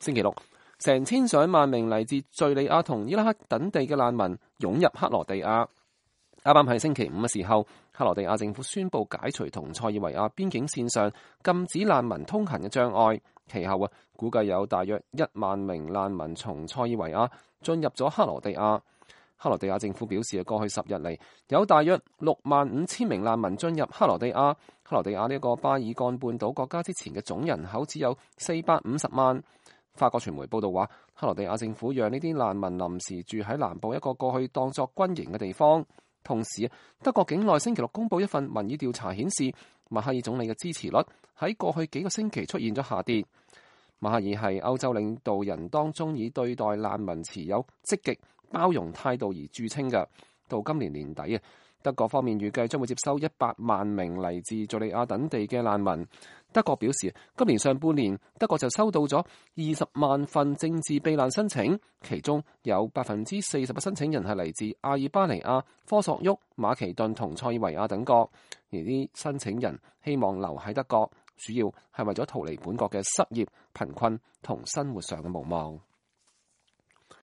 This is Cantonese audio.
星期六，成千上萬名嚟自敘利亞同伊拉克等地嘅難民湧入克羅地亞。啱啱喺星期五嘅時候，克羅地亞政府宣布解除同塞爾維亞邊境線上禁止難民通行嘅障礙。其後估計有大約1萬名難民從塞爾維亞進入咗克羅地亞。克羅地亞政府表示，過去10日嚟有大約65000名難民進入克羅地亞。克羅地亞呢個巴爾幹半島國家之前嘅總人口只有450萬。法國傳媒報道話，克羅地亞政府讓呢啲難民臨時住喺南部一個過去當作軍營嘅地方。同時，德國境內星期六公佈一份民意調查顯示，默克爾總理嘅支持率喺過去幾個星期出現咗下跌。默克爾係歐洲領導人當中以對待難民持有積極包容態度而著稱嘅。到今年年底德國方面預計將會接收100萬名嚟自敘利亞等地嘅難民。德國表示，今年上半年德國就收到咗20萬份政治避難申請，其中有40%嘅申請人係嚟自阿爾巴尼亞、科索沃、馬其頓同塞爾維亞等國，而啲申請人希望留喺德國，主要係為咗逃離本國嘅失業、貧困同生活上嘅無望。